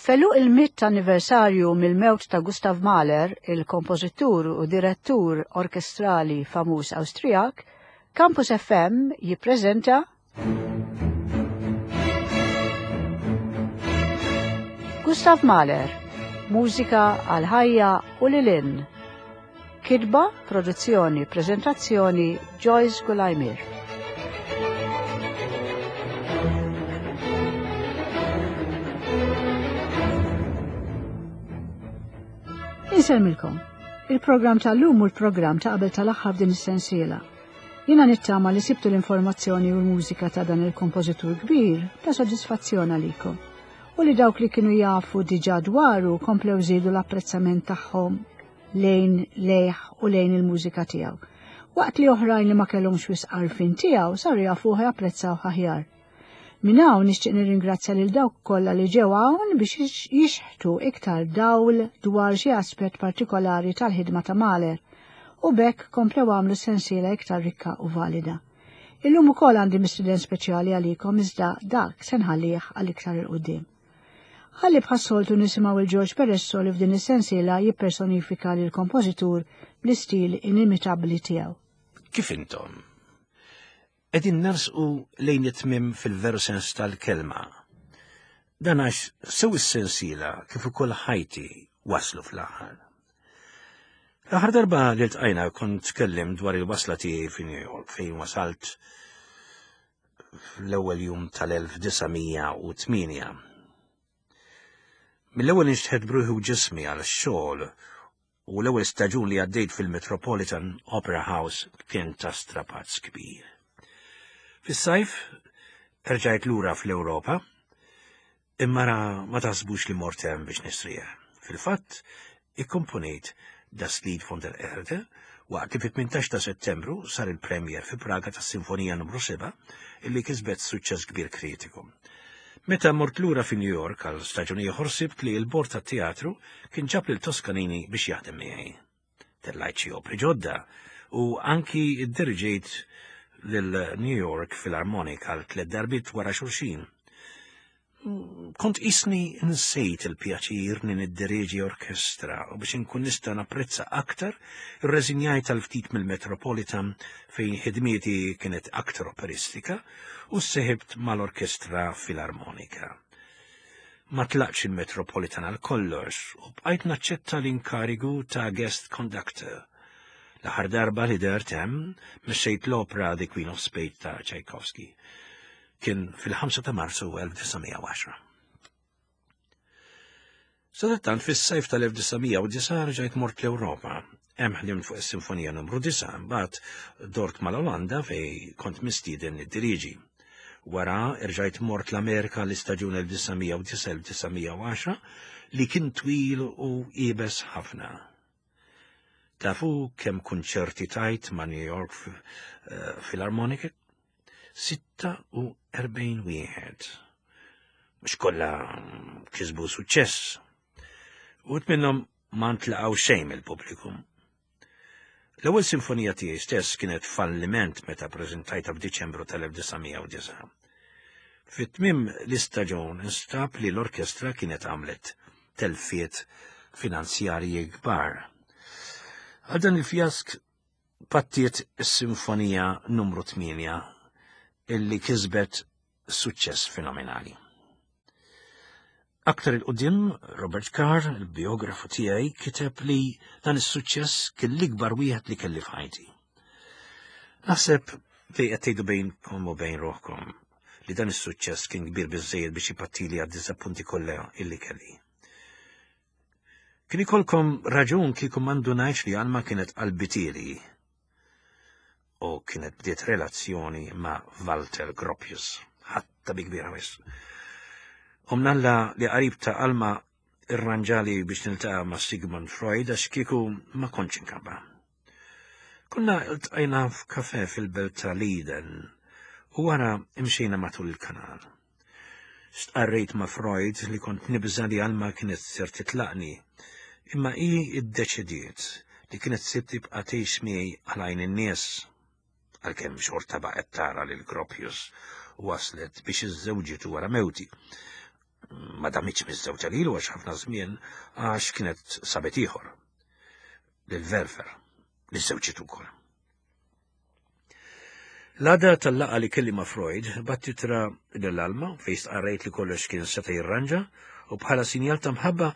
F'għeluq il-mitt anniversarju mill-mewt ta' Gustav Mahler, il-kompożitur u direttur orkestrali famuż Awstrijak, Campus FM jippreżenta Gustav Mahler, mużika għal ħajja u lil hinn. Kitba, produzzjoni, preżentazzjoni Joyce Gulajmir. Insellmilkom. Il-programm tal-lum u l-programm ta' qabel tal-aħħar din is-sensiela. Jiena nittama li sibtu l-informazzjoni u l-mużika ta' dan il-kompożitur kbir ta' sodisfazzjon għalikom u li dawk li kienu jafu diġà dwaru komplew żiedu l-apprezzament tagħhom lejn lejh u lejn il-mużika tiegħu. Waqt li oħrajn li ma kellhomx wisq għarfien tiegħu saru jafuh japprezzawh aħjar. Minn hawn nixtieq nirringrazzja lil dawk kollha li ġew hawn biex jixħtu iktar dawl dwar xi aspett partikolari tal-ħidma ta' Mahler u b'hekk komplew għamlu sensiela iktar rikka u valida. Illum ukoll għandi mistieden speċjali għalikom iżda dak se nħallih għal iktar 'il quddiem. Ħalli bħas-soltu nisimgħu il George Peresso li f'din is-sensiela jippersonifika lil kompożitur bl-istil inimitabbli tiegħu. Kif intom? Qegħdin nersqu lejn it-tmiem fil-veru sens tal-kelma. Dan għax sew is-sensiela kif ukoll ħajti waslu fl-aħħar. L-aħħar darba li ltqajna kont tkellim dwar il-wasla tiegħi fi New York fejn wasalt fl-ewwel jum tal-1908. Mill-ewwel inxtħet bruħi u ġismi għal xogħol u l-ewwel staġun li għaddejt fil-Metropolitan Opera House kien ta' strapazz kbir. Fis-sajf erġajt lura fl-Ewropa Imma ra ma taħsbux li mort hemm biex nistrieħ. Fil-fatt, ikkomponejt Das Lied von der Erde waqt li fit-18 ta' Settembru sar il-premier fi Praga tas-Sinfonija numru 7 illi kisbet suċċess kbir kritiku. Meta mort lura fi New York għal staġun ieħor sibt li l-bord tat-teatru kien ġab lil Toscanini biex jaħdem miegħi. Tellajt xi opri ġodda u anki ddiriġejt lil New York Philharmonic għal tliet darbiet wara xulxin. Kont qisni nsejt il-pjaċir li niddiriġi orkestra u biex inkun nista' napprezza aktar, irreżinjajt għal ftit mill-Metropolitan fejn ħidmieti kienet aktar operistika u sseħibt mal-Orkestra Filarmonika. Ma tlaqtx il-Metropolitan għal kollox u bqajt naċċetta l-inkarigu ta' guest conductor. L-aħħar darba li dehrt hemm, mexxejt l-opra The Queen of Spades ta' Tchaikovsky. Kien fil-5 ta' Marzu 1910. Sadattant fis-sajf tal-1909 rġajt mort l-Ewropa. Hemm ħdimt fuq is-Sinfonija numru 9, mbagħad dort mal-Olanda fej kont mistieden niddiriġi. Wara rġajt mort l-Amerika l-istaġun 1909-1910 li kien twil u iebes ħafna. Tafu kemm kunċerti tajt ma' New York eh, Philharmonic? 46 wieħed. Mhux kollha kisbu suċċess. Uħud minnhom ma ntlaqgħu xejn mill-pubbliku. L-ewwel sinfonija tiegħi stess kienet falliment meta preżentajtha f'Diċembru tal-1909. Fit-tmiem l-istaġun instab li l-orkestra kienet għamlet telfiet finanzjarji kbar. Għal dan il-fjask pattiet is-Sinfonija numru 8 illi kisbet suċċess fenomenali. Aktar il-qudiem, Robert Carr, il-biografu tiegħi, kiteb li dan is-suċċess kien l-ikbar wieħed li kelli f'ħajti. Naħseb li qed tgħidu bejnkom u bejn ruħkom li dan is-suċċess kien kbir biżżejjed biex ipattili għad-diżappunti kollha illi kelli. Kien ikolkom raġun kieku ma ndunajtx li Alma kienet qalbitieli u kienet bdiet relazzjoni ma' Walter Gropius, ħatta bi kbira wisq. U mnalla li qarib ta' Alma irranġali biex niltaqa' ma' Sigmund Freud għax kieku ma kontx inkabba. Konna ltqajna f'kafe fil-belt ta' Leiden u wara imxejna matul il-kanal. Stqarrejt ma' Freud li kont nibża' li Alma kienet ser titlaqni, imma hi ddeċidiet li kienet se tibqa' tgħix miegħi għal għajn in-nies. Għalkemm xorta baqgħet tara lil Gropius u waslet biex iżżewġitu wara mewti. Ma damitx miżżewġa lilu għax ħafna żmien għax kienet sabet ieħor. Lil Verfer, li żewġiet ukoll. L-għada tal-laqgħa li kelli ma' Freud, bat titra lil Alma fejn stqarrejt li kollox kien seta' jirranġa u bħala sinjal ta' mħabba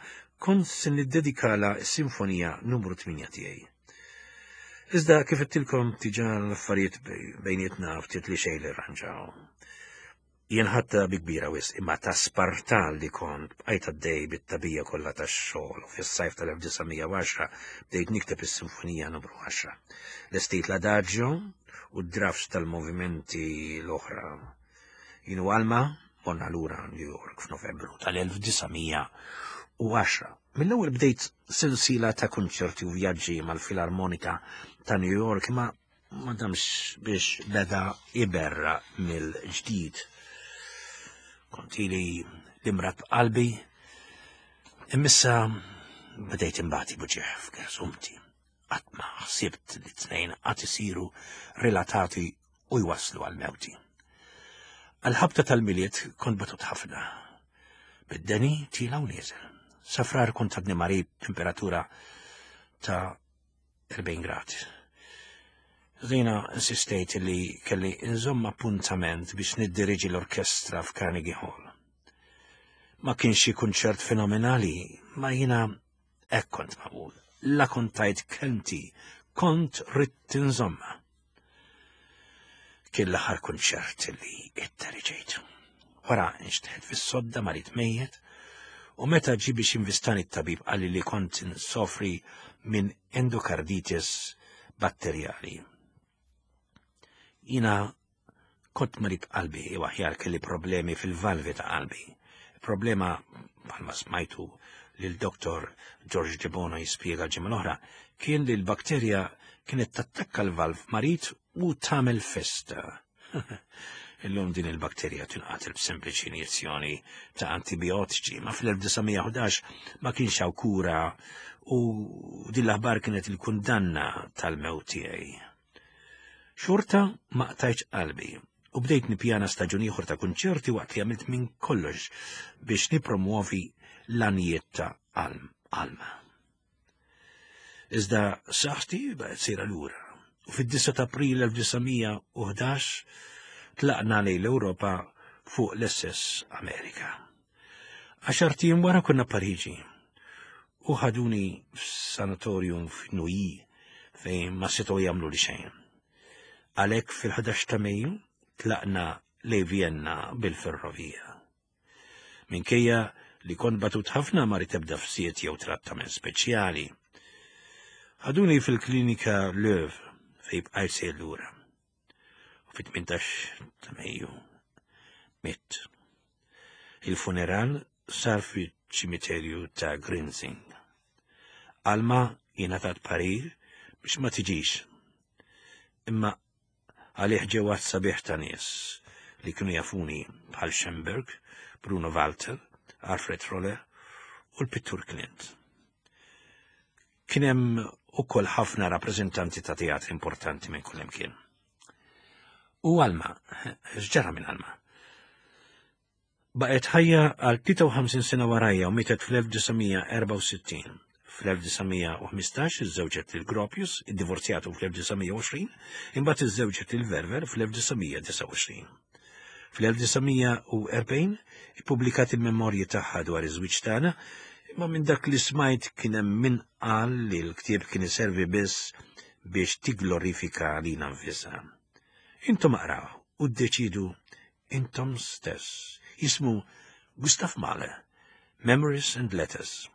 kont se niddedikala s-sinfonija numru 8 tiegħi. Iżda kif għedtilkom diġà l-affarijiet bejnietna ftit li xejn li rranġaw. Jien ħadtha bi kbira wisq imma ta' Spartan li kont bqajt għaddej bit-tagħbija kollha tax-xogħol u fis-sajf tal-1910 bdejt nikteb is-Sinfonija Numru 10. Lestejt l-Adagio u d-drafts tal-movimenti l-oħra. Jien u Alma morna lura New York f'Novembru tal-1910. Mill-ewwel bdejt sensiela ta' kunċerti u vjaġġi mal-Filarmonika ta' New York imma Ma damx biex beda iberra mill-ġdid. Kont ili l-imrat b'qalbi, imissa bdejt imbati buġieħ f'gersumti. Qatt ma ħsibt li tnejn qatt isiru relatati u jwasslu għal mewti. Għal-ħabta tal-miliet kont batut ħafna. Bid-deni tila u nieżel. Safrar kont għadni marid temperatura ta' 40 grad. Zina insistejt li kelli nżomm appuntament biex niddiriġi l-orkestra f'Carnegie Hall. Ma kienx xi kunċert fenomenali, ma jiena hekk kont magħmul. La kont tajt kelmti, kont ridt inżomma. Kien l-aħħar kunċert li idderiġejt. Wara nxteħet fis-sodda marid mejjet u meta ġie biex jinvistani t-tabib qalli li kont nsofri minn endokarditis batterjali. Jina kont marid qalbi u aħjar kelli problemi fil-valvi ta' qalbi. Problema bħalma smajtu lil Dr. George Debono jispjega l-ġimgħa l-oħra kien li l-bakterja kienet tattakka l-valv marid u tagħmel festa. Illum din il-bakterja tinqatel b'sempliċi injezzjoni ta' antibiotiċi, ma fl-1911 ma kienx hawn kura u din l-aħbar kienet il-kundanna tal-mewt tiegħi. Xorta ma qtajtx qalbi u bdejt nippjana staġun ieħor ta' kunċerti waqt li għamilt minn kollox biex nipromuovi l-għanijiet ta' Alma. Iżda saħħti baqgħet sejra lura u fid-9 ta' April 1911 tlaqna lejn l-Ewropa fuq l-SS Amerika. Għaxar tiem wara konna Pariġi u ħaduni f'sanatorium f'Nouilly fejn ma setgħu jagħmlu li xejn. Għalhekk fil-11 ta' Mejju tlaqna lejn Vienna bil-ferrovija. Minkejja li kont batut ħafna ma rrid ebda fsiet jew trattament speċjali. Ħaduni fil-klinika Löw fejn bqajt sejr lura. U fit-18 ta' Mejju mitt. Il-funeral sar fiċ-ċimiterju ta' Grinzing. Alma jingħatat parir biex ma tiġix. Imma għalih ġew għadd sabiħ ta' nies li kienu jafuni bħal Schemberg, Bruno Walter, Alfred Roller u l-pittur Clint. Kien hemm ukoll ħafna rappreżentanti ta' teatri importanti minn kull imkien. U Alma, x'ġara minn Alma? Baqgħet ħajja għal 53 sena warajja u mietet fl-1964. Fl-1915 iżżewġet lil Gropius, iddivorzjatu fl-1920, imbagħad iżżewġet lil Verver fl-1929. Fl-1940 ippubblikat il-memorji tagħha dwar iż-żwieġ tagħna, imma minn dak li smajt kien hemm min qal li l-ktieb kien iservi biss biex tigglorifika lilha nfisha. Intom aqraw u ddeċidu intom stess. Jismu Gustav Mahler, Memories and Letters.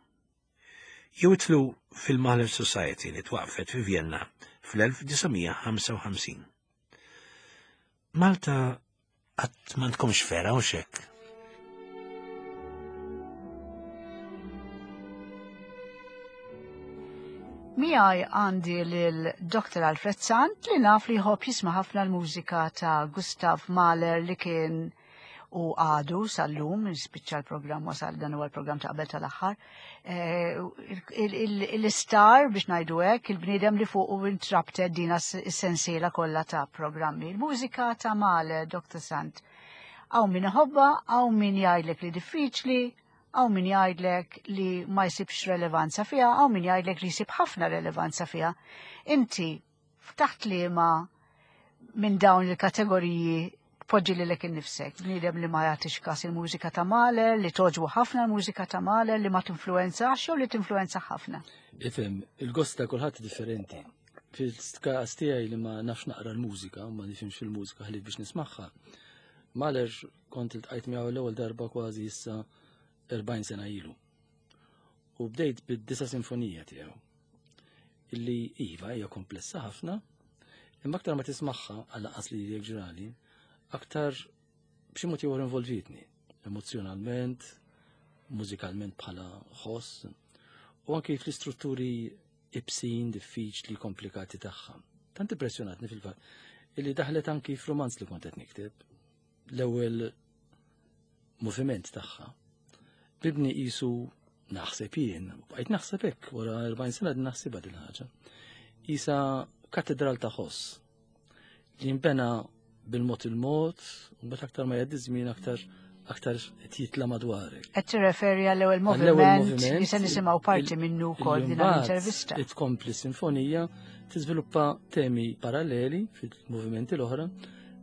Jew itlu fil-Mahler Society li twaqfet fi Vienna fl-1955. Malta qatt m'għandkomx fera u xekk. Miegħi għandi lil Dr. Alfred Sant li naf li jħobb jisma' ħafna l-mużika ta' Gustav Mahler li kien u għadu sal-lum, spiċċa l-programm wasal dan huwa l-programm ta' qabel tal-aħħar. Eh, l-istar biex ngħidu hekk, il-bniedem li fuq u intrabtet dina s-sensiela kollha ta' programmi. Il-mużika ta' Mahler, Dr. Sant. Hawn min iħobbha, hawn min jgħidlek li diffiċli, hawn min jgħidlek li ma jsibx relevanza fiha, hawn min jgħidlek li jsib ħafna relevanza fiha. Inti ftaħt liema minn dawn il-kategoriji tpoġġi lilek innifsek, bniedem li ma jagħtix każ il-mużika ta' Mahler, li togħġbu ħafna l-mużika ta' Mahler, li ma tinfluwenzax jew li tinfluwenza ħafna. Ifhem, il-gost ta' kulħadd differenti. Fil-każ tiegħi li ma nafx naqra l-mużika, ma nifhimx fil-mużika ħlief biex nismagħha. Mahler kont iltqajt miegħu l-ewwel darba kważi issa 40 sena ilu. U bdejt bid-disa sinfonija tiegħu. Illi iva hija komplessa ħafna, imma aktar ma tismagħha għal qas li jekk ġrali, aktar b'xi mod ieħor involvitni emozjonalment, mużikalment bħala ħoss, u anki fl-istrutturi ibsin, diffiċli, komplikati tagħha. Tant impressjonatni fil-fatt illi daħlet anki f'romanz li kont qed nikteb. L-ewwel moviment tagħha. Bibni qisu naħseb jien, u bqajt naħseb hekk wara 40 sena din naħsibha din ħaġa. Isa katedral ta' ħoss li jinbena bil-mod il-mod, u mbagħad aktar ma jgħaddi żmien aktar aktar qed jitla' madwarek. Qed tirreferi għall-ewwel moviment li se nisimgħu parti minnu wkoll din l-intervista. Tkompli sinfonija tiżviluppa temi paralleli fil-movimenti l-oħra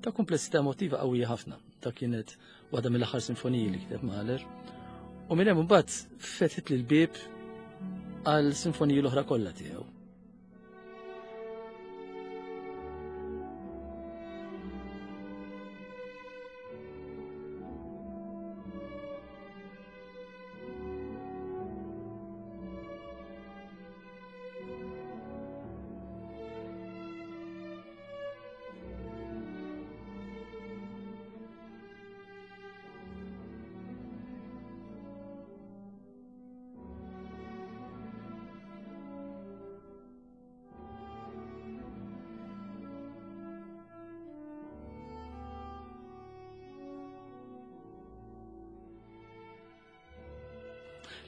ta' komplessità emotiva qawwija ħafna. Ta' kienet waħda mill-aħħar sinfoniji li kiteb Mahler. U minn hemm imbagħad fetħit lil bieb għal sinfoniji l-oħra kollha tiegħu.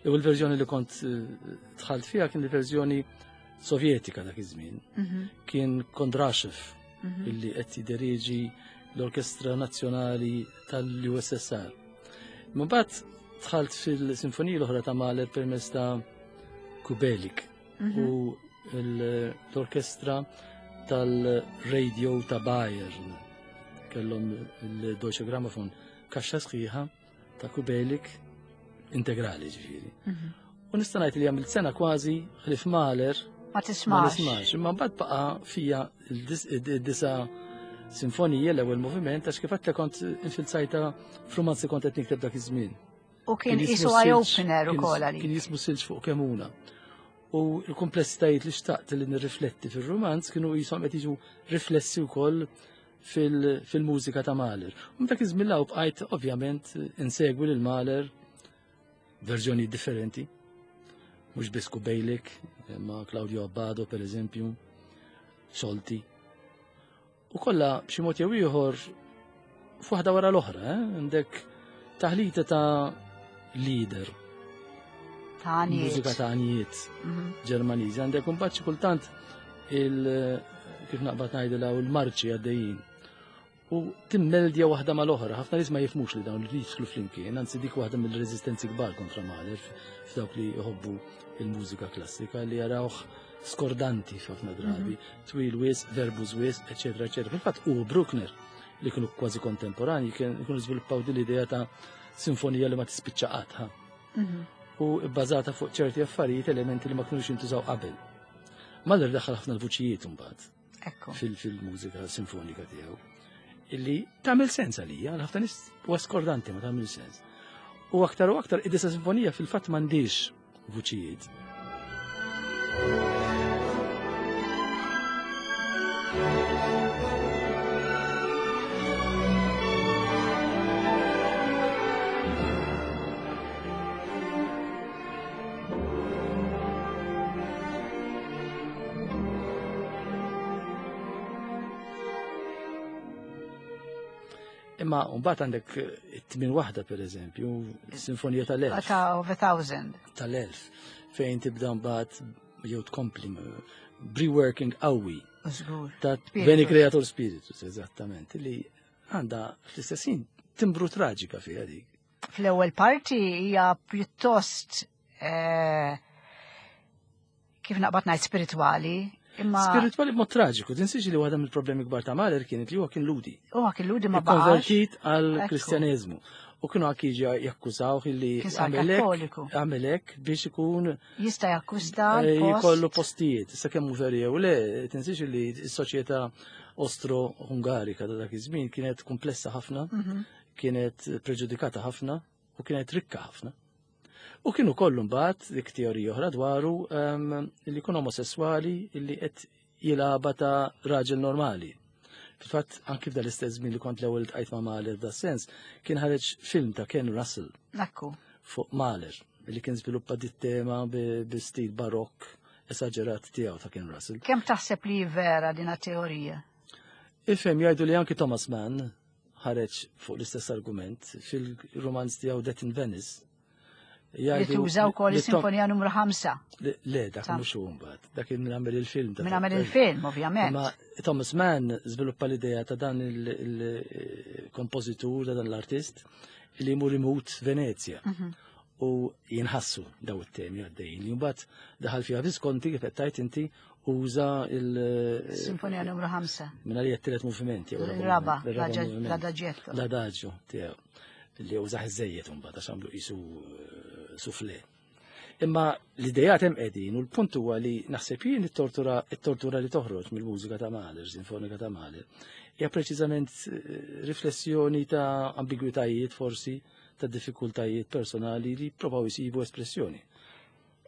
L-ewwel verżjoni li kont eh, dħalt fiha kien il-verżjoni Sovjetika dak iż-żmien. Mhm. Kien Kondrashev mhm. illi qed jideriġi l-Orkestra Nazzjonali tal-USSR. Mbagħad dħalt fil-sinfonija l-oħra ta' Mahler permezz ta' Kubelik mhm. u l-orkestra tal-radio ta' Bayern. Kellhom il-Deutsche Grammophon kaxxa sħiħa ta' Kubelik integrali ġifieri. Mhm. U nista' ngħid li għamilt sena kważi ħlif Mahler ma tismax. Ma nismax, imma mbagħad baqa' fija id-disa sinfonija l-ewwel moviment għax kif għedtlek kont infilzajta f'rumanzi kont qed nikteb dak iż-żmien. U kien isu eye opener ukoll għalik. Kien jismu silġ fuq kemuna. U l-komplessitajiet li xtaqt li nirrifletti fir-rumanz kienu jisom qed jiġu riflessi wkoll fil-mużika ta' Mahler. U dak iż-żmien law bqajt ovvjament insegwi lil Mahler verżjoni differenti. Mhux biss Kubejlik, ma Claudio Abbado per eżempju, Solti. U kollha b'xi mod jew ieħor f'waħda wara l-oħra, eh? għandek taħlita ta' leader. Ta' Mużika ta' għanijiet mhm. Ġermaniżi. Għandek imbagħad xi kultant il kif naqbad ngħidilha u l-marċi għaddejjin. U timmeldja waħda mal-oħra, ħafna nies ma jifmux li dawn li jidħlu flimkien, anzi dik waħda mill-reżistenzi kbar kontra Mahler f'dawk li jħobbu il-mużika klassika li jarawh skordanti f'ħafna drabi, mhm. twil wis, verbus wis, eċetera, eċetera. Fil-fatt u Bruckner li kienu kważi kontemporanji kienu żviluppaw din l-idea ta' sinfonija li ma tispiċċa qatt. Mhm. U bbażata fuq ċerti affarijiet, elementi li ma kienux jintużaw qabel. Mahler daħħal ħafna l-vuċijiet imbagħad fil-mużika sinfonika tiegħu. Illi tagħmel sens għalija, għal ħafna nies huwa skordanti ma tagħmel sens. U aktar u aktar id-disa sinfonija fil-fatt m'għandix vuċijiet. Imma mbagħad għandek it-tmien waħda pereżempju, sinfonija tal-elf. Ta' of a thousand. Tal-elf, fejn tibda mbagħad jew tkompli reworking qawwi. Żgur. Ta' Veni Creator Spiritus, eżattament, li għandha fl-istess ħin timbru traġika fiha dik. Fl-ewwel parti hija pjuttost eh, kif naqbad ngħid spiritwali, imma Spiritwali b'mod traġiku, tinsiex li waħda mill-problemi kbar ta' Mahler kienet li huwa kien ludi. Huwa kien ludi ma baqax. Konvertit għal Ekku. kristjaneżmu. U kienu anki jiġu jakkużawh illi Kien sar għamel hekk- Kattoliku. għamel hekk biex ikun Jista' jakkwista eh, l-post. jkollu postijiet. Issa kemm hu veri jew le, tinsiex li s-soċjetà Ostro-Hungarika ta' dak iż-żmien kienet komplessa ħafna, kienet preġudikata ħafna u kienet rikka ħafna. U kienu kollu mbagħad dik teorija oħra dwaru ehm, li jkun omosessuali li qed jilgħabha ta' raġel normali. Fil-fatt anki f'dan l-istess żmien li kont l-ewwel tqajt ma' Mahler f'da sens, kien ħareġ film ta' Ken Russell Ekku. fuq Mahler li kien żviluppa dit tema bi bi stil barokk esaġerat tiegħu ta' Ken Russell. Kemm taħseb li vera din teorija? Ifhem jgħidu li anki Thomas Mann ħareġ fuq l-istess argument fil-romanz tiegħu Death in Venice. Li tuża wkoll li Tom- is-Sinfonija numru 5. Le, dak Ta' mhux hu mbagħad, dak kien min għamel il-film. ta' Min għamel Death. il-film, ovvjament. Imma Thomas Mann żviluppa l-idea ta' dan il-kompożitur, ta' dan l-artist, li jmur imut Venezia. U jinħassu daw it-temi għaddejjin. Li mbagħad daħal fiha Visconti kif qed tgħid inti uża il- Sinfonija numru 5. Minn għalija t-tielet moviment jew Il-raba, moviment, il-raba moviment. l-adagietto. L-adagio tiegħu li użaħ iż-żejjed imbagħad għax għamlu qisu eh, sufle. Imma l-idejat hemm qegħdin u l-punt huwa li naħseb jien it-tortura it-tortura li toħroġ mill-mużika ta' Mahler, sinfonika ta' Mahler, hija preċiżament eh, riflessjoni ta' ambigwitajiet forsi, ta' diffikultajiet personali li provaw jisibu espressjoni.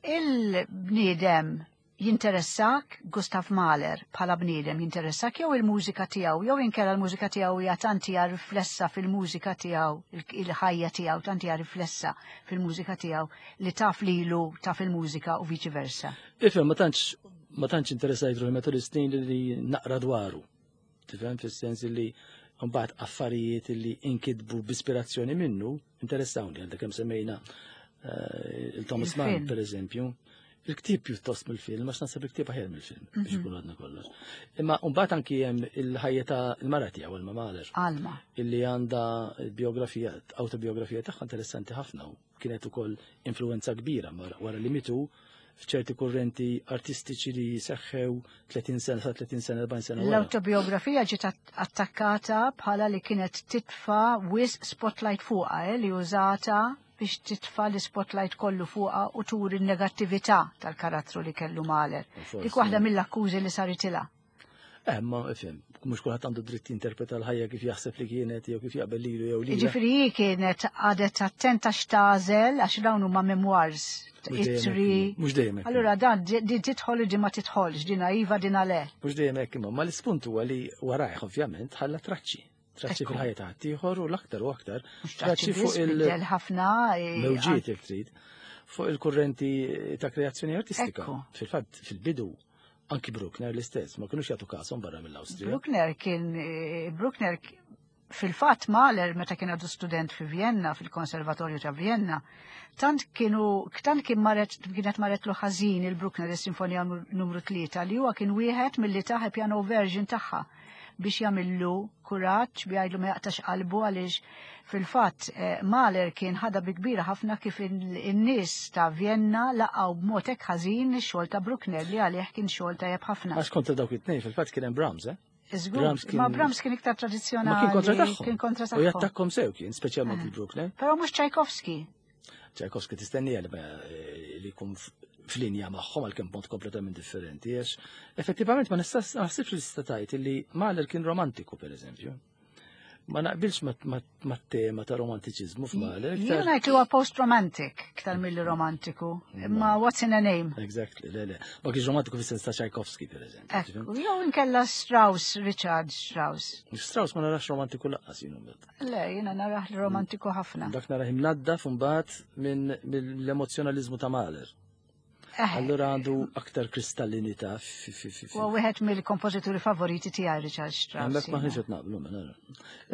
Il-bniedem jinteressak Gustav Mahler bħala bniedem jinteressak jew il-mużika tiegħu jew inkella l-mużika tiegħu hija tant hija riflessa fil-mużika tiegħu il-ħajja tiegħu tant hija riflessa fil-mużika tiegħu li taf lilu taf il-mużika u viċi versa. Ifhem, ma tantx ma tantx interessajt ruħi matul is-snin li naqra dwaru. Tifhem fis-sens li mbagħad affarijiet li inkitbu b'ispirazzjoni minnu interessawni għandek kemm semmejna eh, il-Thomas Mann Il-film. per eżempju. Il-ktieb pjuttost mill-film, għax naħseb il-ktieb aħjar mill-film biex ikun għadna kollox. Imma mbagħad anki hemm il-ħajja ta' il-mara tiegħu Alma Mahler Alma. illi għandha biografija, autobiografija tagħha interessanti ħafna u kienet ukoll influenza kbira wara li mitu f'ċerti kurrenti artistiċi li seħħew 30 sena, sa 30 sena, 40 sena wara. L-autobiografija ġiet attakkata bħala li kienet titfa wisq spotlight fuqha, eh, li użata biex titfa l-spotlight kollu fuqha u turi n-negattività tal-karattru li kellu Mahler. Forsi. Dik waħda mill-akkużi li saritilha. Eh, ma ifhem, mhux kulħadd għandu dritt jinterpreta l-ħajja kif jaħseb li kienet jew kif jaqbel lilu jew lilha. Jiġifieri hi kienet għadet attenta x'tagħżel għax dawn huma memoirs, Mhux dejjem hekk, ittri. Mhux dejjem hekk. Allura dan din tidħol u din ma tidħolx, dina iva dina le. Mhux dejjem hekk imma, ma l-ispunt huwa li warajh ovvjament ħalla traċċi. Traċċi Ekku. fil-ħajja ta' ħaddieħor u l-aktar u aktar Mhux traċċi fuq biss, il- biddel ħafna. eh, mewġiet jekk trid fuq il-kurrenti ta' kreazzjoni artistika. Ekku. Fil-fatt fil-bidu anki Bruckner l-istess, ma kinux jagħtu kasom barra mill-Awstrija. Bruckner kien eh, Bruckner fil-fatt Mahler meta kien għadu student fi Vienna, fil-Konservatorju ta' Vienna, tant kienu tant kien maret kienet maretlu ħażin il-Bruckner is-Sinfonija numru 3 li huwa kien wieħed milli taħ piano version tagħha biex jagħmillu kuraġġ bi jgħidlu ma jaqtax qalbu għaliex fil-fatt eh, Mahler kien ħada bi kbira ħafna kif in-nies ta' Vienna laqgħu b'mod hekk ħażin ix-xogħol ta' Bruckner li għalih kien xogħol tajjeb ħafna. Għax kontra dawk it-tnejn fil-fatt kien hemm Brahms, eh? Żgur, Brahms kien- ma Brahms kien iktar tradizzjonali. Ma kien kontra tagħhom. Kien kontra U tagħhom. jattakkom sew kien, speċjalment il-Bruckner. Però mhux Tchaikovsky. Tchaikovsky tistennija li li jkun f'linja magħhom għalkemm mod kompletament differenti, għax effettivament ma nistax naħsibx li tista' tgħid li Mahler kien romantiku pereżempju. Ma naqbilx mat-tema ta' romantiċiżmu f'Mahler. Jien iktar- ngħid li huwa post-romantic iktar milli romantiku. Imma what's in a name? Exactly, le, le. Ma kienx romantiku fis-sens ta' Tchaikovsky, per eżempju. Ekku, jew inkella Strauss, Richard Strauss. Strauss ma narax romantiku laqqas jien mbagħad. Le, jiena narah li romantiku ħafna. Dak narah imnaddaf mbagħad minn mill-emozzjonaliżmu ta' Mahler. Eh, Allura għandu aktar kristallinità fi fi fi. fi. Huwa wieħed mill-kompożituri favoriti tiegħi Richard Strauss. Hemmhekk jiena. maħniex qed naqblu ma nara.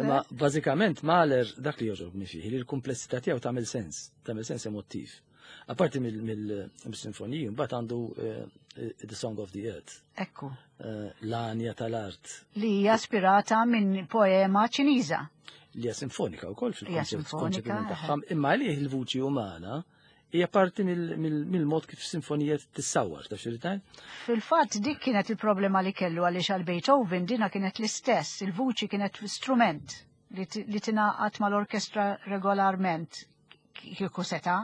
Imma bażikament Mahler dak li jogħġobni fih li l-kumplessità tiegħu tagħmel sens, tagħmel sens emottiv. Apparti mill-sinfoniji, mbagħad għandu eh, The Song of the Earth. Ekku. Eh, l-għanja tal-art. Li hija aspirata minn poema Ċiniża. Li hija sinfonika wkoll fil-konċepiment tagħha, imma għalih il-vuċi umana hija parti mill-mod kif sinfonija tissawar, ta' xirritajn? Fil-fatt dik kienet il-problema li kellu għaliex għal Beethoven dina kienet l-istess, il-vuċi kienet strument li tingħaqad mal-orkestra regolarment kieku seta'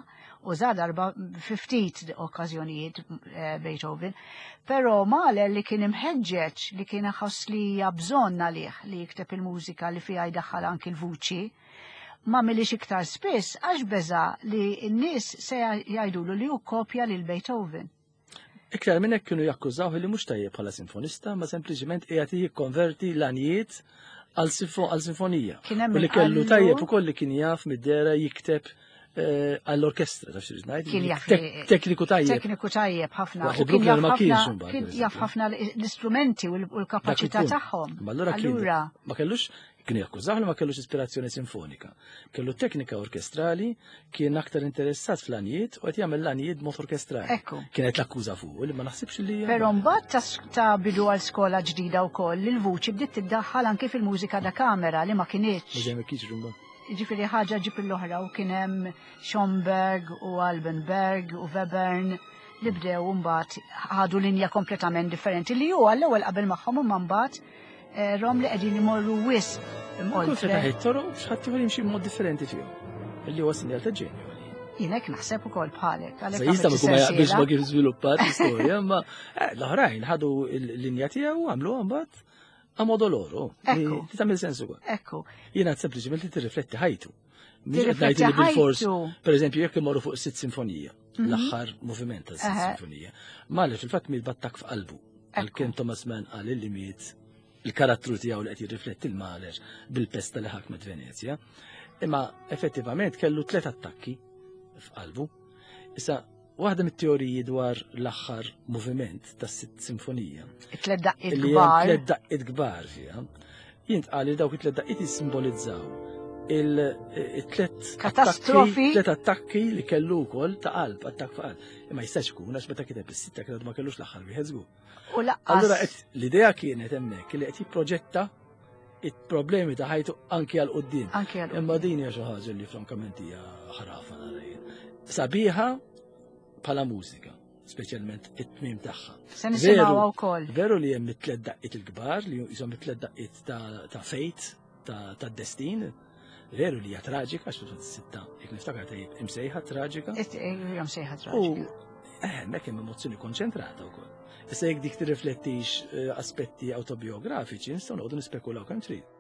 uża darba fi ftit okkażjonijiet eh, Beethoven, però Mahler li kien imħeġġeġ li kien iħoss li hija bżonn għalih li jikteb il-mużika li fiha jdaħħal anki l-vuċi, ma milix iktar spiss għax beża li n-nies se jgħidulu li hu kopja lil Beethoven. Iktar minn hekk kienu jakkużawh li mhux tajjeb bħala sinfonista, ma sempliċement qiegħed jikkonverti l-għanijiet għal sinfonija. U li kellu tajjeb ukoll li kien jaf mid-dera jikteb eh, għall-orkestra, taf xi ngħid. Kien jaf tekniku tajjeb. Tekniku tajjeb ħafna. U kien jaf ħafna kien jaf ħafna l-istrumenti u l-kapaċità tagħhom. Allura ma kellux Kienu jakkużawh li ma kellux ispirazzjoni sinfonika. Kellu teknika orkestrali, kien aktar interessat fl-għanijiet u qed jagħmel l-għanijiet b'mod orkestrali. Ekku. Kienet l-akkuża fuq li ma naħsibx li. Però mbagħad ta' bidu għal skola ġdida wkoll li l-vuċi bdiet tiddaħħal anki fil-mużika da kamera li ma kinitx. Ma dejjem kienx rumba. Jiġifieri ħaġa ġib l-oħra u kien hemm Schomberg u Alban Berg u Webern li bdew mbagħad ħadu linja kompletament differenti li hu għall-ewwel qabel magħhom imma mbagħad eh, rom li qegħdin imorru wisq Kull fetaħ it-toroq biex ħadd ieħor jimxi b'mod differenti fihom. Illi huwa sinjal ta' ġenju. Jien hekk naħseb ukoll bħalek. Se jista' ma jkun ma jaqbilx ma kif żviluppat l-istorja, imma eh, l-oħrajn ħadu l-linja tiegħu għamlu mbagħad a modo loro. Ekku. Li tagħmel sens ukoll. Ekku. Jiena sempliċement li tirrifletti ħajtu. Tirrifletti bil-fors. Per eżempju, jekk imorru fuq sitt sinfonija, mhm. l-aħħar moviment ta' sitt sinfonija, Mahler fil-fatt miet battak f'qalbu. Għalkemm Thomas Mann qal li miet il-karattru tiegħu li qed jirrifletti l-Mahler bil-pesta li ħakmet Venezja. Imma effettivament kellu tliet attakki f'qalbu. Issa, waħda mit-teoriji dwar l-aħħar moviment tas-sitt sinfonija. It-tliet daqqiet kbar. Tliet daqqiet kbar fiha. Jintqal li dawk it-tliet daqqiet jissimbolizzaw il-tliet katastrofi, tliet attakki li kellu wkoll ta' qalb, attakk fuq qalb. Imma jistax ikun għax meta kiteb is-sitta kien ma kellux l-aħħar wieħed żgur. U laqqas. Allura l-idea kienet hemmhekk li qed jipproġetta il-problemi ta' ħajtu anki għal qudiem. Anki għal Imma din hija xi ħaġa li frankament hija ħrafa nara jien. Sabiħa bħala mużika, speċjalment it-tmiem tagħha. Se nisimgħuha wkoll. Veru li hemm it-tliet daqqiet il-kbar li jisom it-tliet daqqiet ta' fejt, ta' destin. Veru li hija traġika, għax fil-fatt sitta, jekk niftakar tajjeb, imsejħa traġika. Hija msejħa traġika. U eh, hemmhekk hemm emozzjoni konċentrata wkoll. Issa jekk dik tirriflettix eh, aspetti autobiografiċi, nistgħu noqogħdu nispekulaw kemm trid.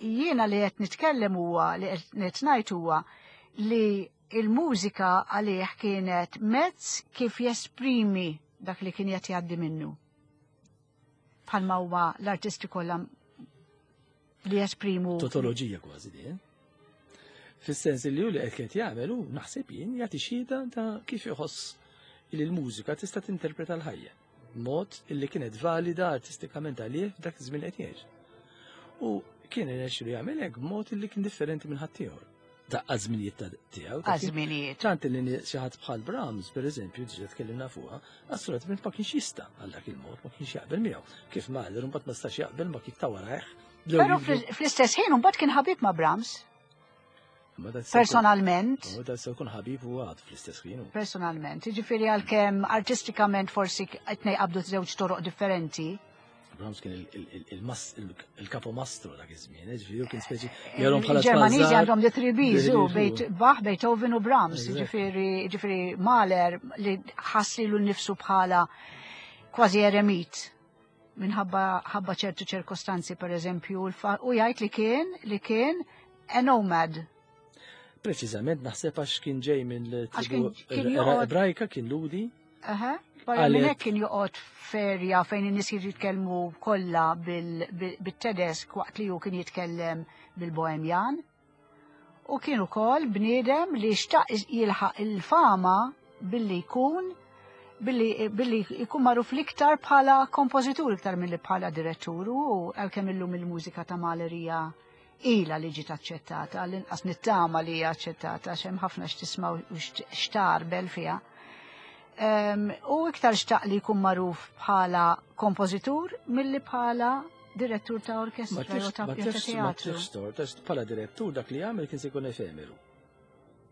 Jiena li qed nitkellem huwa li qed ngħid huwa li il-mużika għalih kienet mezz kif jesprimi dak li kien qed jgħaddi minnu. Bħalma huwa l-artisti kollha li jesprimu. Totoloġija kważi di, eh? Fis-sens li hu li qed jagħmel hu naħseb jien jagħti xhieda ta' kif iħoss li l-mużika tista' tinterpreta l-ħajja. Mod illi kienet valida artistikament għalih f'dak iż-żmien qed jgħix. U kien irnexxielu jagħmel hekk b'mod illi kien differenti minn ħaddieħor. Daqqa żminijiet ta' tiegħu. Għaż-żminijiet. Tant li xi ħadd bħal Brahms, pereżempju, diġà tkellimna fuqha, assolutament ma kienx jista' għal dak il-mod, ma kienx jaqbel miegħu. Kif Mahler imbagħad ma stax jaqbel ma kif ta' warajh. Però fl-istess ħin imbagħad kien ħabib ma' Brahms. Personalment. U da se jkun ħabib u għad fl-istess ħin. Personalment, jiġifieri għalkemm artistikament forsi qed qabdu żewġ toroq differenti. Brahms kien il-kapomastru dak iż-żmien, eh, ġifieri kien speċi jarhom bħala Ġermaniżi għandhom the three B's, u Bach, Beethoven u Brahms, ġifieri ġifieri Mahler li ħass lilu nnifsu bħala kważi eremit minħabba ħabba ċertu ċirkostanzi per eżempju u jgħid li kien li kien a nomad. Preċiżament naħseb għax kien ġej minn tribu Ebrajka kien Ludi. Aha, barra minn hekk kien joqgħod ferja fejn in-nies jitkellmu kollha bit-Tedesk waqt li hu kien jitkellem bil-Bohemjan. U kien ukoll bniedem li xtaq jilħaq il-fama billi jkun billi, billi jkun magħruf l-iktar bħala kompożitur iktar milli bħala direttur u għalkemm illum il-mużika ta' Mahler hija ilha li ġiet aċċettata, għall-inqas nittama li hija aċċettata għax hemm ħafna x'tisma' u x'tarbel fiha. U iktar xtaq li jkun magħruf bħala kompożitur milli bħala direttur ta' orkestra jew ta' teatru. Ma tix bħala direttur dak li jagħmel kien se jkun efemeru.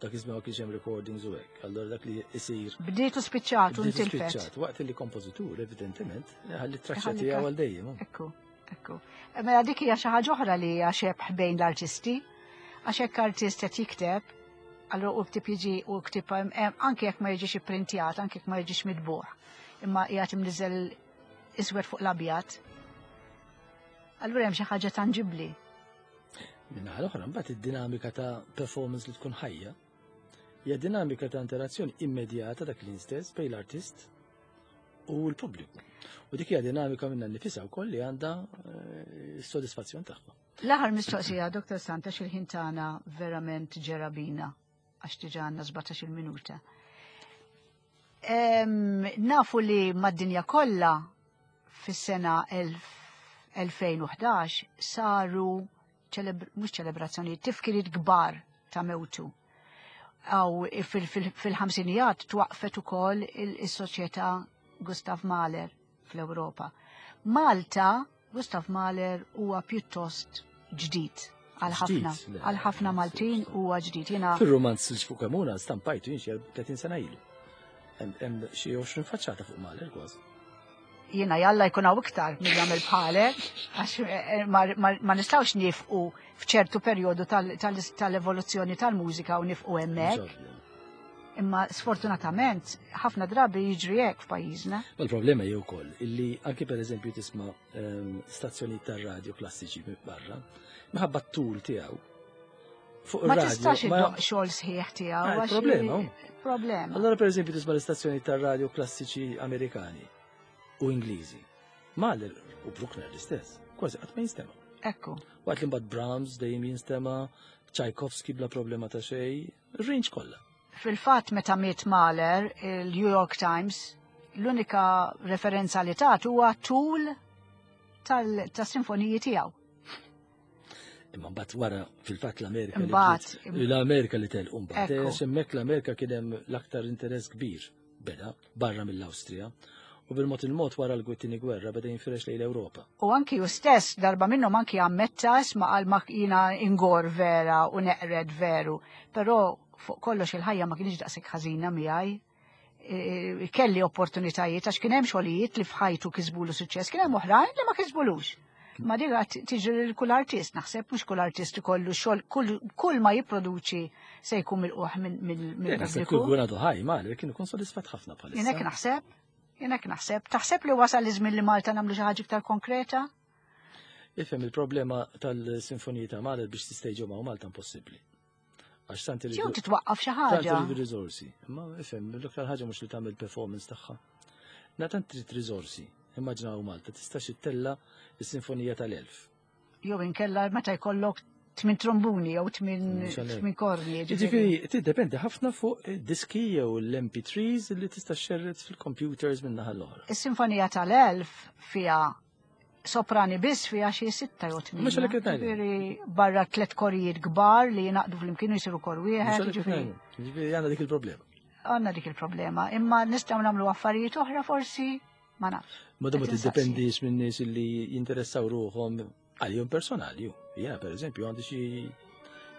Dak iż-żmien ma kienx hemm recordings u hekk, allura dak li jsir. Bdiet u spiċċat u ntilfet. Waqt li kompożitur, evidentement, ħalli traċċa tiegħu għal dejjem. Ekku, ekku. Mela dik hija xi ħaġa oħra li hija xebħ bejn l-artisti, għax hekk artist qed jikteb, allura u ktib jiġi u ktib anke jekk ma jiġix ipprintjat, anke jekk ma jiġix mitbuħ, imma qiegħed imniżel iswed fuq l-abjad. Allura hemm xi ħaġa tanġibbli. Minnaħa l-oħra, mbagħad id-dinamika ta' performance li tkun ħajja hija dinamika ta' interazzjoni immedjata dak l-istess bejn l-artist u l-pubbliku. U dik hija dinamika minna nifisha wkoll li għandha eh, s-sodisfazzjon tagħha. L-aħħar mistoqsija, Dr. Santa, xil-ħin tagħna verament ġerabina għax diġà għandna 17 minuta. Nafu li mad-dinja kollha fis-sena 2011 saru mhux ċelebrazzjonijiet, tifkiriet kbar ta' mewtu. Aw fil-ħamsinijat twaqfet ukoll is-soċjetà Gustav Mahler fl-Ewropa. Malta, Gustav Mahler huwa pjuttost ġdid għal ħafna għal ħafna Maltin huwa ġdid. Jiena Fir-romanz li fuq Kamuna stampajtu jien xi 30 sena ilu. Hemm xi 20 faċċata fuq Mahler kważi. Jiena jalla jkun hawn iktar min jagħmel bħalek, għax eh, ma nistgħux nifqu f'ċertu perjodu tal-evoluzzjoni tal-mużika u nifqu hemmhekk. Imma sfortunatament ħafna drabi jiġri hekk f'pajjiżna. Il-problema hi wkoll illi anke pereżempju tisma' ehm, stazzjonijiet tar-radju klassiċi barra, minħabba t-tul tiegħu. Fuq Ma tistax iddoq xogħol sħiħ tiegħu. Ah, problema. Problema. Allora pereżempju tisma' l-istazzjoni tar-radju klassiċi Amerikani u Ingliżi. Mahler u Bruckner l-istess, kważi qatt ma jinstema'. Ekku. Waqt li mbagħad Brahms dejjem jinstema', Tchaikovsky bla problema ta' xejn, range kollha. Fil-fatt meta miet Mahler, il-New York Times, l-unika referenza li tat huwa tul tas-sinfoniji tiegħu. Imma mbagħad wara fil-fatt l-Amerika. Mbagħad l-Amerika li telqu mbagħad. Għax hemmhekk l-Amerika kien hemm l-aktar interess kbir beda barra mill-Awstrija u bil-mod il-mod wara l-Gwittini gwerra beda jinfirex lejn l-Ewropa. U anki ju stess darba minnhom anki ammetta isma' qal ma jiena ingor vera u neqred veru, però fuq kollox il-ħajja ma kienx daqshekk ħażina miegħi. E, e, kelli opportunitajiet għax kien hemm xogħlijiet li f'ħajtu kisbulu suċċess, kien hemm oħrajn li ma kisbulux. Ma dik tiġri lil kull artist, naħseb mhux kull artist ikollu xogħol kull ma jipproduċi se jkun milquh mill-pubbliku. Kull kun għadu ħaj, ma kien ikun sodisfatt ħafna bħalissa. Jien hekk naħseb, jien hekk naħseb. Taħseb li wasal iż-żmien li Malta nagħmlu xi ħaġa iktar konkreta? Ifhem il-problema tal-sinfoniji ta' Mahler biex tistejġu ma' Malta impossibbli. Għax tant iridu. Jew titwaqqaf xi ħaġa. Tant iridu riżorsi. Imma ifhem, l-iktar ħaġa mhux li tagħmel performance tagħha. Na tant trid riżorsi. Immaġinaw Malta tistax ittella s-sinfonija tal-elf. Jew inkella meta jkollok tmin trombuni jew tmin korni. Ġifieri tiddependi ħafna fuq diski jew l-MP3s li tista' xerred fil-computers minn naħa l-oħra. Is-sinfonija tal-elf fiha soprani biss fiha xi sitta jew tmien. Mhux għalhekk qed Ġifieri barra tliet korijiet kbar li jingħaqdu flimkien u jsiru kor wieħed. Ġifieri għandna dik il-problema. Għandna dik il-problema, imma nistgħu nagħmlu affarijiet oħra forsi ma nafx. Ma ma tiddependix minn nies li jinteressaw ruħhom għalihom personali. Jiena pereżempju għandi xi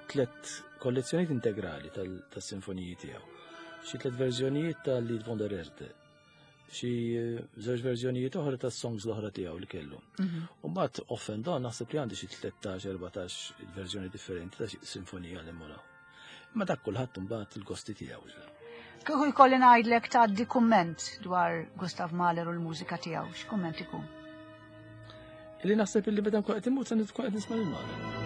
tliet kollezzjonijiet integrali tas-sinfoniji tiegħu. Xi tliet verżjonijiet tal-Lied von der Erde xi eh, żewġ verżjonijiet oħra tas-songs l-oħra tiegħu li kellu. Mhm. U mbagħad off and on naħseb li għandi xi 13-14 verżjoni differenti ta' xi sinfonija li mura. Ma dak kulħadd imbagħad il-gosti tiegħu. Kieku jkolli ngħidlek tgħaddi kumment dwar Gustav Mahler u l-mużika tiegħu, x'kumment ikun? Li naħseb illi meta nkun qed immut se tkun qed nisma' lil Mahler.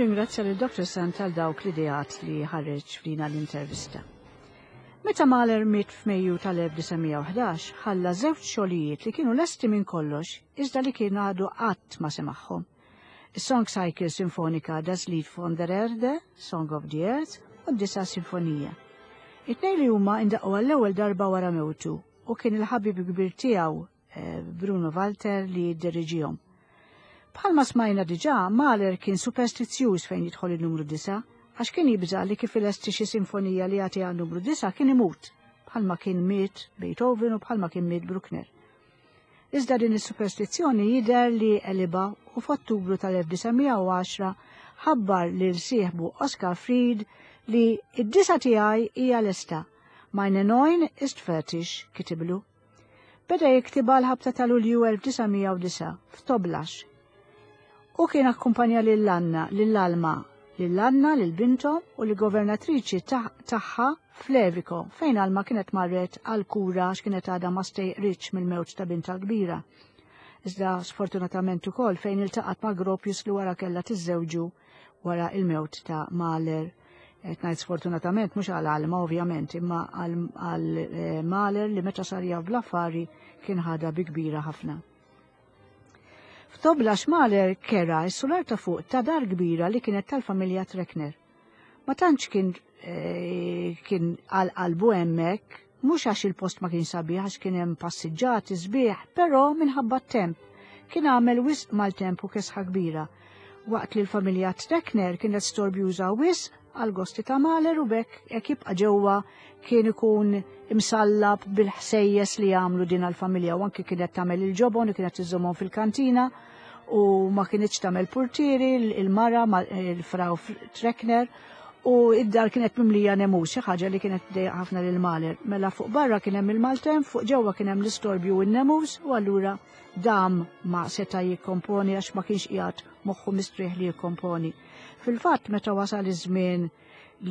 Nirringrazzja lil Dr. Sant għal dawk l-ideat li ħareġ f'dina l-intervista. Meta Mahler miet f'Mejju tal-1911, ħalla żewġ xogħlijiet li kienu lesti minn kollox iżda li kien għadu qatt ma semagħhom. Is-Song Cycle Sinfonika Das Lied von der Erde, Song of the Earth, u d-Disa' Sinfonija. It-tnejn li huma indaqqu għall-ewwel darba wara mewtu u kien il-ħabib kbir tiegħu eh, Bruno Walter li jiddiriġihom. Bħalma smajna diġà, Mahler kien superstizzjuż fejn jidħol il-numru 9, għax kien jibża' li kif ilesti xi sinfonija li jagħtiha numru 9 kien imut, bħalma kien miet Beethoven u bħalma kien miet Bruckner. Iżda din is-superstizzjoni jidher li għelibha u f'Ottubru tal-1910 ħabbar lil sieħbu Oscar Fried li id-disa tiegħi hija lesta. Meine Neun ist fertig, kitiblu. Beda jiktibha l-ħabta ta' Lulju 1909 f'Toblax. U kien akkumpanja lil Anna, lil Alma, lil Anna, lil binthom u l-governatriċi tagħha f'Levico, fejn Alma kienet marret għal kura għax kienet għadha ma stejqritx mill-mewt ta' bintha l-kbira. Iżda sfortunatament ukoll fejn iltaqgħet ma' Gropius li wara kellha tiżżewġu wara il-mewt ta' Mahler. Qed ngħid sfortunatament mhux għal Alma ovvjament, imma għal eh, Mahler li meta sar jaf bl-affari kien ħadha bi kbira ħafna. F'Toblax Mahler kera s-sular ta' fuq ta' dar kbira li kienet tal-familja Trekner. Ma tantx kien eh, kien għal qalbu hemmhekk, mhux għax il-post ma kien sabiħ għax kien hemm passiġġati sbieħ, però minħabba t-temp. Kien għamel wisq mal-temp u kesħa kbira. Waqt li l-familja Trekner kienet storbjuża wisq għal gosti ta' Mahler u bekk jekk jibqa' ġewwa kien ikun imsallab bil-ħsejjes li jagħmlu din għall-familja u anki kienet tagħmel il-ġobon u kienet iżommhom fil-kantina u ma kinitx tagħmel purtieri il-mara il-Frau Trekner u id-dar kienet mimlija nemus, xi ħaġa li kienet dejja ħafna lil Mahler. Mela fuq barra kien hemm il-maltemp, fuq ġewwa kien hemm l-istorbju u n-nemus u allura dam ma seta' jikkomponi għax ma kienx qiegħed moħħu mistrieħ li jikkomponi. Fil-fatt meta wasal iż-żmien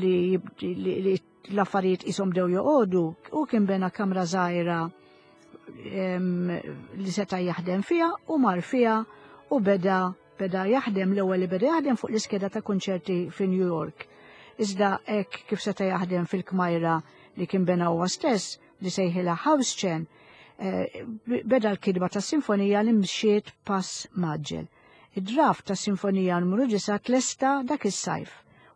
li, li, li l-affarijiet qishom bdew joqogħdu, u kien bena kamra żgħira li seta' jaħdem fiha u mar fiha u beda beda jaħdem l-ewwel li beda jaħdem fuq l-iskeda ta' kunċerti fi New York. Iżda hekk kif seta' jaħdem fil-kmajra li kien bena huwa stess li sejħilha House Chen, eh, beda l-kidba ta' sinfonija li mxiet pass maġġel. Id-draft ta' sinfonija numru 9 tlesta dak is-sajf,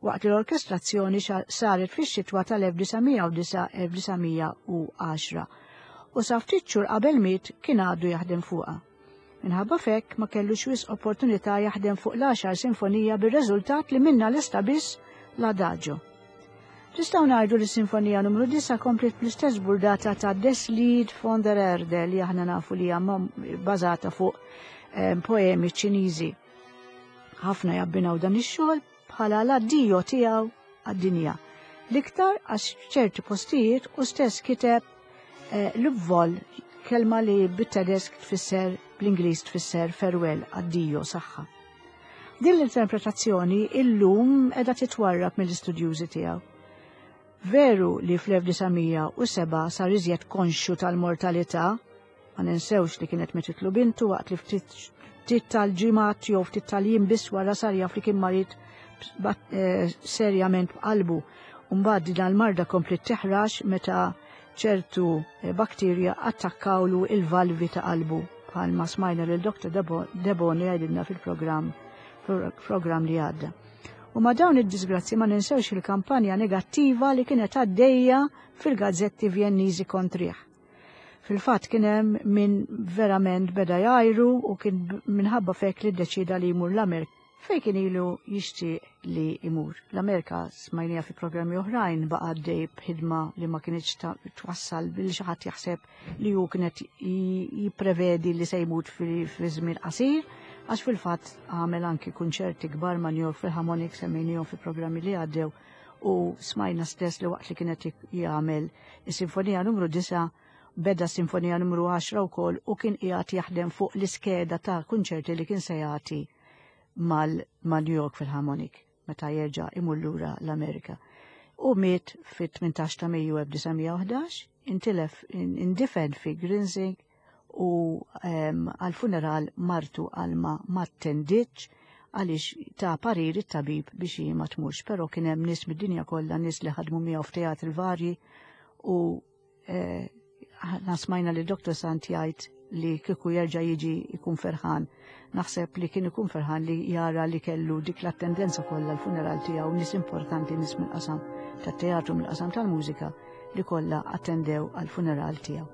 waqt li l-orkestrazzjoni saret fix-xitwa tal-1909-1910 u sa ftit xhur qabel miet kien għadu jaħdem fuqha. Minħabba fekk ma kellux wisq opportunità jaħdem fuq l-għaxar sinfonija bir-reżultat li minnha lesta biss l-Adagio. Nistgħu ngħidu li s-Sinfonija numru 9 kompliet bl-istess burdata ta' Des Lied von der Erde li aħna nafu li hija bbażata fuq eh, poemi Ċiniżi. Ħafna jabbinaw dan ix-xogħol bħala l-addio tiegħu għad-dinja. L-iktar għax ċerti postijiet u stess kiteb eh, l-vol kelma li bit-tedesk tfisser bl-Ingliż tfisser farewell, addio, saħħa. Din l-interpretazzjoni illum qiegħda titwarrab mill-istudjużi tiegħu. Veru li fl-1907 sar iżjed konxju tal-mortalità, ma ninsewx li kienet metitlu bintu waqt li ftit tal-ġimgħat jew ftit tal-jiem biss wara sar jaf li kien marid eh, serjament b'qalbu. Mbagħad din l-marda komplet teħrax meta ċertu eh, bakterja attakkawlu il-valvi ta' qalbu bħalma smajna lil Dr. Deboni jgħidilna fil-programm program li għadda. U ma dawn id-disgrazzi ma ninsewx il-kampanja negattiva li kienet għaddejja fil-gazzetti Vjenniżi kontrih. Fil-fatt kien hemm min verament beda jgħajru u kien minħabba fek li ddeċida li jmur l-Amerika Fejn kien ilu jixtieq li jmur. L-Amerika smajnija fi programmi oħrajn baqa' għaddej b'ħidma li ma kinitx twassal billi xi ħadd jaħseb li hu kienet jipprevedi li se jmut fi żmien qasir, għax fil-fatt għamel anki kunċerti kbar ma' New York Philharmonic semmejnihom fi programmi li għaddew u smajna stess li waqt li kienet jagħmel is-sinfonija numru 9 beda sinfonija numru 10 wkoll u kien qiegħed jaħdem fuq l-iskeda ta' kunċerti li kien se jagħti mal-New York Philharmonic meta jerġa' imur lura l-Amerika. U miet fit-18 ta' Mejju 1911, intilef indifen fi Grinzing u għal-funeral martu Alma ma attendietx għaliex ta' parir it-tabib biex hi ma tmurx, però kien hemm nies mid-dinja kollha, nies li ħadmu miegħu f'teatri varji u eh, aħna smajna li Dr. Sant jgħid li kieku jerġa' jiġi jkun ferħan. Naħseb li kien ikun ferħan li jara li kellu dik l-attendenza kollha l-funeral tiegħu nies importanti nies mill-qasam. tat-teatru mill-qasam tal-mużika li kollha attendew għall-funeral tiegħu.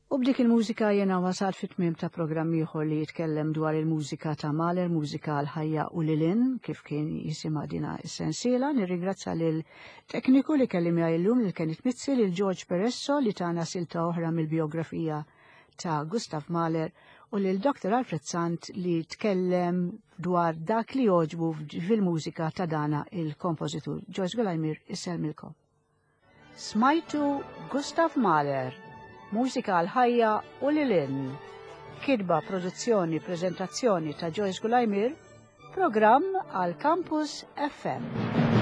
U b'dik il-mużika jena wasal fit-tmiem ta' programm ieħor li jitkellem dwar il-mużika ta' Mahler, mużika għal ħajja u lilin, kif kien jisimha dina is-sensiela. Nirringrazzja lil tekniku li kelli miegħi llum lil Kenneth Mizzi, lil George Peresso li tana silta oħra mill-biografija ta' Gustav Mahler u lil Dr. Alfred Sant li tkellem dwar dak li joġbu fil-mużika ta' dana il-kompożitur. Joyce Gulajmir, isselmilkom. Smajtu Gustav Mahler, mużika għal ħajja u lil hinn. Kitba, produzzjoni, preżentazzjoni ta' Joyce Gulajmir, programm għal Campus FM.